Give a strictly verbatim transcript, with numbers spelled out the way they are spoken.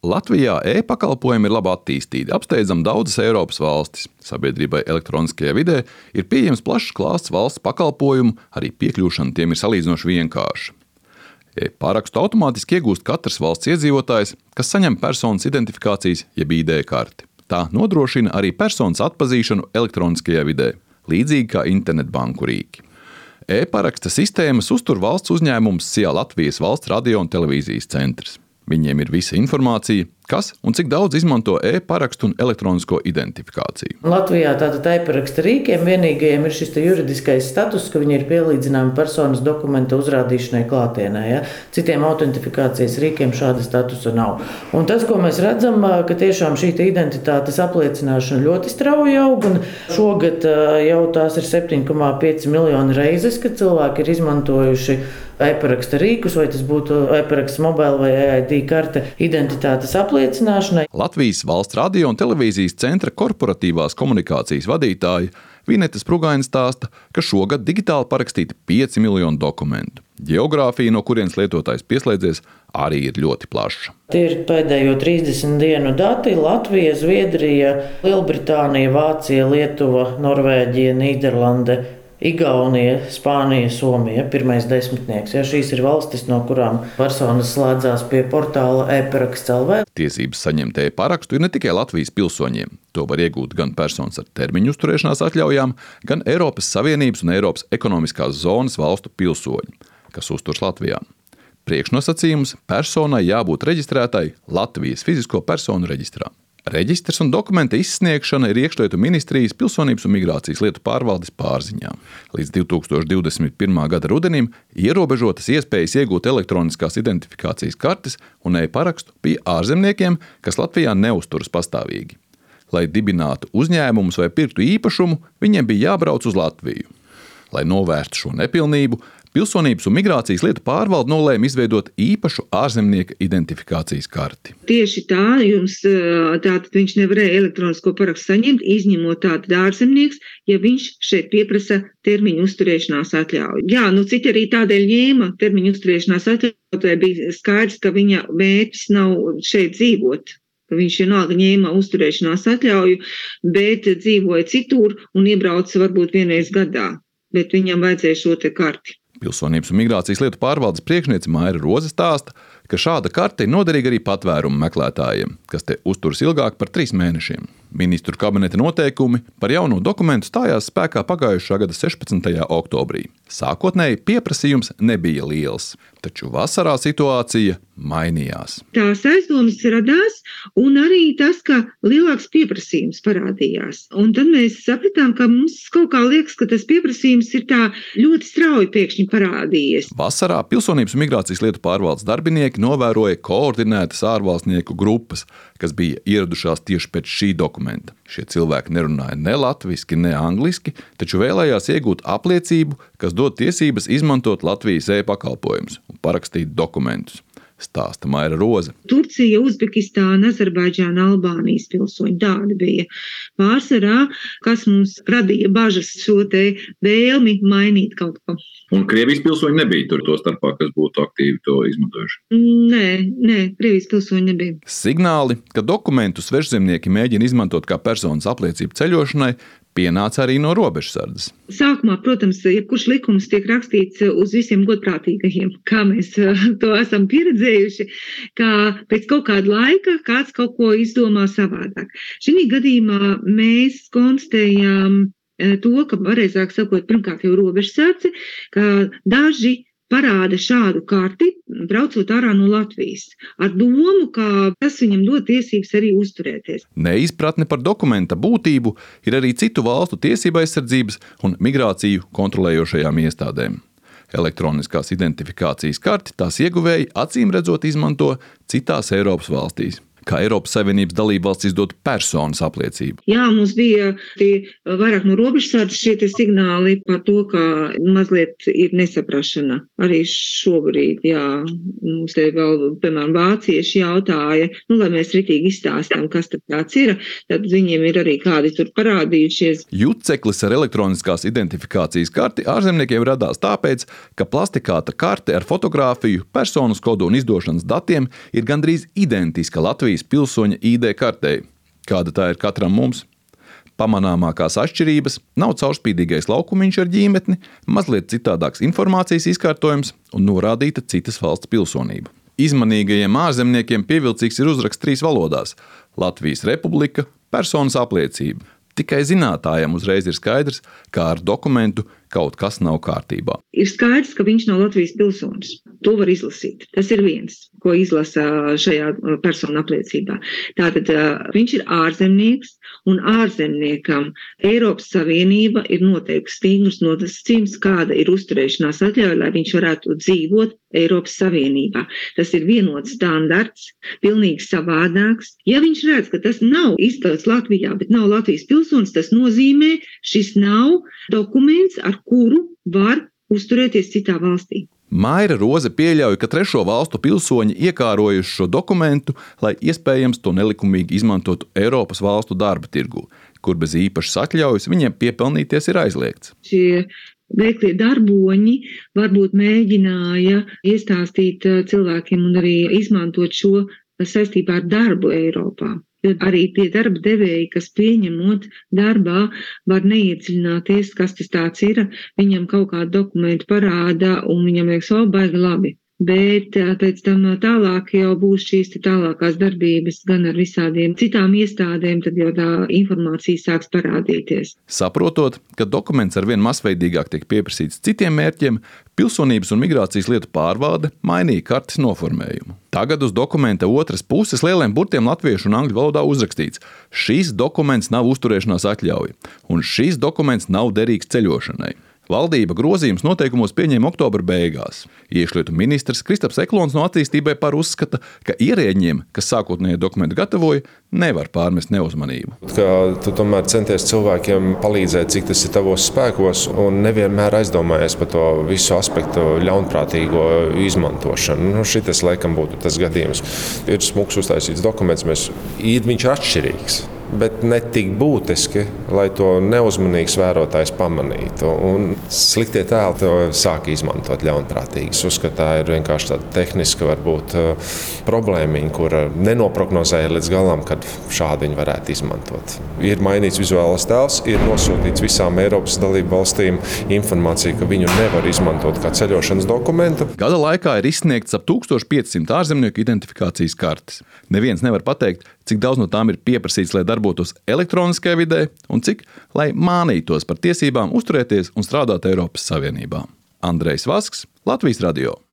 Latvijā e-pakalpojumi ir labi attīstīti, apsteidzam daudzas Eiropas valstis. Sabiedrībai elektroniskajā vidē ir pieejams plašs klāsts valsts pakalpojumu, arī piekļūšana tiem ir salīdzinoši vienkārša. E-parakstu automātiski iegūst katrs valsts iedzīvotājs, kas saņem personas identifikācijas jeb I D karti. Tā nodrošina arī personas atpazīšanu elektroniskajā vidē, līdzīgi kā internetbanku rīki. E-paraksta sistēmas uztur valsts uzņēmums S I A Latvijas valsts radio un televīzijas centrs. Viņiem ir visa informācija, kas un cik daudz izmanto e-parakstu un elektronisko identifikāciju. Latvijā tātad e-paraksta rīkiem vienīgajiem ir šis juridiskais status, ka viņi ir pielīdzināmi personas dokumenta uzrādīšanai klātienē. Ja? Citiem autentifikācijas rīkiem šāda statusa nav. Un tas, ko mēs redzam, ka tiešām šī identitātes apliecināšana ļoti strauji aug, un šogad jau tās ir septiņi komā pieci miljoni reizes, kad cilvēki ir izmantojuši e-paraksta rīkus, vai tas būtu e-paraksta mobila vai E I D karte identitātes apliecināšanai. Latvijas valsts radio un televīzijas centra korporatīvās komunikācijas vadītāja Vineta Sprugaina stāsta, ka šogad digitāli parakstīti pieci miljoni dokumentu. Geogrāfija, no kurienes lietotājs pieslēdzies, arī ir ļoti plaša. Tie ir pēdējo trīsdesmit dienu dati. Latvija, Zviedrija, Lielbritānija, Vācija, Lietuva, Norvēģija, Nīderlande, Igaunija, Spānija, Somija, pirmais desmitnieks. Ja, šīs ir valstis, no kurām personas slēdzās pie portāla e-paraksts L V. Tiesības saņemt e-parakstu ir ne tikai Latvijas pilsoņiem. To var iegūt gan personas ar termiņu uzturēšanās atļaujām, gan Eiropas Savienības un Eiropas ekonomiskās zonas valstu pilsoņi, kas uzturs Latvijā. Priekšnosacījums personai jābūt reģistrētai Latvijas fizisko personu reģistrā. Reģistrs un dokumenta izsniegšana ir Iekšlietu ministrijas pilsonības un migrācijas lietu pārvaldes pārziņā. Līdz divi tūkstoši divdesmit pirmā gada rudenim ierobežotas iespējas iegūt elektroniskās identifikācijas kartes un e-parakstu bija ārzemniekiem, kas Latvijā neuzturas pastāvīgi. Lai dibinātu uzņēmumus vai pirktu īpašumu, viņiem bija jābrauc uz Latviju. Lai novērstu šo nepilnību, Pilsonības un migrācijas lietu pārvalde nolēma izveidot īpašu ārzemnieka identifikācijas karti. Tieši tā, jums tātad viņš nevarēja elektronisko parakstu saņemt, izņemot tātad ārzemnieks, ja viņš šeit pieprasa termiņu uzturēšanās atļauju. Jā, nu citi arī tādēļ ņēma termiņu uzturēšanās atļauju, tai bija skaidrs, ka viņa mērķis nav šeit dzīvot. Viņš vienalga ņēma uzturēšanās atļauju, bet dzīvoja citur un iebrauca varbūt vienreiz gadā, bet viņam vajadzēja šo te karti. Pilsonības un migrācijas lietu pārvaldes priekšniece Maira Roze stāsta, ka šāda karte ir noderīga arī patvērumu meklētājiem, kas te uzturas ilgāk par trīs mēnešiem. Ministru kabineta noteikumi par jauno dokumentu stājās spēkā pagājušā gada sešpadsmitajā oktobrī. Sākotnēji pieprasījums nebija liels, taču vasarā situācija mainījās. Tās aizdomas radās, un arī tas, ka lielāks pieprasījums parādījās. Un tad mēs sapratām, ka mums kaut kā liekas, ka tas pieprasījums ir tā ļoti strauji pēkšņi parādījies. Vasarā Pilsonības un migrācijas lietu pārvaldes darbinieki novēroja koordinētas ārvalstnieku grupas, kas bija ieradušās tieši pēc šī dokumenta. Šie cilvēki nerunāja ne latviski, ne angliski, taču vēlējās iegūt apliecību, kas dod tiesības izmantot Latvijas e-pakalpojumus un parakstīt dokumentus. Stāsta Maira Roze. Turcija, Uzbekistāna, Azerbaidžāna, Albānijas pilsoņi tādi bija. Pārsvarā, kas mums radīja bažas šo te vēlmi mainīt kaut ko. Un Krievijas pilsoņi nebija tur to starpā, kas būtu aktīvi to izmantojuši? Nē, nē, Krievijas pilsoņi nebija. Signāli, ka dokumentus svežzemnieki mēģina izmantot kā personas apliecību ceļošanai, pienāca arī no robežsardzes. Sākumā, protams, jebkurš likums tiek rakstīts uz visiem godprātīgajiem, kā mēs to esam pieredzējuši, ka pēc kaut kāda laika kāds kaut ko izdomā savādāk. Šī gadījumā mēs konstatējām to, ka pareizāk sakot, pirmkārt jau robežsardze, ka daži parāda šādu karti, braucot ārā no Latvijas, ar domu, ka tas viņam dod tiesības arī uzturēties. Neizpratne par dokumenta būtību ir arī citu valstu tiesība aizsardzības un migrāciju kontrolējošajām iestādēm. Elektroniskās identifikācijas karti tās ieguvēji acīm redzot izmanto citās Eiropas valstīs. kā Eiropas Savienības dalībvalsts izdod personas apliecību. Jā, mums bija tie vairāk no robežsardzes šie tie signāli par to, ka mazliet ir nesaprašana. Arī šobrīd, jā, mums te vēl, piemēram, vācieši jautāja, nu, lai mēs ritīgi izstāstām, kas tad tāds ir, tad viņiem ir arī kādi tur parādījušies. Jutceklis ar elektroniskās identifikācijas karti ārzemniekiem radās tāpēc, ka plastikāta karte ar fotogrāfiju, personas kodu un izdošanas datiem ir gandrīz identiska Latvijas pilsoņa I D kartei. Kāda tā ir katram mums? Pamanāmākās atšķirības nav caurspīdīgais laukumiņš ar ģīmetni, mazliet citādāks informācijas izkārtojums un norādīta citas valsts pilsonība. Izmanīgajiem ārzemniekiem pievilcīgs ir uzraksts trīs valodās – Latvijas Republika, personas apliecība. Tikai zinātājiem uzreiz ir skaidrs, kā ar dokumentu kaut kas nav kārtībā. Ir skaidrs, ka viņš nav Latvijas pilsonis. To var izlasīt. Tas ir viens, ko izlasa šajā personu apliecībā. Tātad viņš ir ārzemnieks, un ārzemniekam Eiropas Savienība ir noteikusi stingrus nosacījumus, kāda ir uzturēšanās atļauja, lai viņš varētu dzīvot Eiropas Savienībā. Tas ir vienots standarts, pilnīgi savādāks. Ja viņš redz, ka tas nav izstāsts Latvijā, bet nav Latvijas pilsonis, tas nozīmē, šis nav dokuments, ar kuru var uzturēties citā valstī. Maira Roze pieļauj, ka trešo valstu pilsoņi iekārojuši šo dokumentu, lai iespējams to nelikumīgi izmantotu Eiropas valstu darba tirgū, kur bez īpašas atļaujas viņiem piepelnīties ir aizliegts. Šie veiklie darboņi varbūt mēģināja iestāstīt cilvēkiem un arī izmantot šo saistībā ar darbu Eiropā. Jo arī tie darba devēji, kas pieņemot darbā, var neiedziļināties, kas tas tāds ir. Viņam kaut kādu dokumentu parāda un viņam liekas, o, baigi labi. Bet pēc tam tālāk jau būs šīs tālākās darbības gan ar visādiem citām iestādēm, tad jau tā informācija sāks parādīties. Saprotot, ka dokuments arvien masveidīgāk tiek pieprasīts citiem mērķiem, Pilsonības un migrācijas lietu pārvalde mainīja kartes noformējumu. Tagad uz dokumenta otras puses lieliem burtiem latviešu un angļu valodā uzrakstīts: šis dokuments nav uzturēšanās atļauja, un šis dokuments nav derīgs ceļošanai. Valdība grozījums noteikumos pieņēma oktobra beigās. Iekšlietu ministrs Kristaps Eklons no Attīstībai par uzskata, ka ierēģiem, kas sākotnējo dokumentu gatavoja, nevar pārmest neuzmanību. Ka tu tomēr centies cilvēkiem palīdzēt, cik tas ir tavos spēkos, un nevienmēr aizdomājies par to visu aspektu ļaunprātīgo izmantošanu. Nu, šitas laikam būtu tas gadījums. Ir smuks uztaisīts dokuments, mēs, viņš ir atšķirīgs, bet ne tik būtiski, lai to neuzmanīgs vērotājs pamanītu. Un sliktie tēli to sāk izmantot ļaunprātīgi. Es uzskatu, tā ir vienkārši tāda tehniska varbūt problēmiņa, kura nenoprognozēja līdz galam, kad šādi viņi varētu izmantot. Ir mainīts vizuālais tēls, ir nosūtīts visām Eiropas dalību valstīm informācija, ka viņu nevar izmantot kā ceļošanas dokumentu. Gada laikā ir izsniegts ap tūkstoš piecsimt ārzemnieku identifikācijas kartes. Neviens nevar pateikt, cik daudz no tām ir pieprasīts, lai darbotos elektroniskajā vidē, un cik, lai mānītos par tiesībām uzturēties un strādāt Eiropas Savienībā. Andrejs Vasks, Latvijas radio.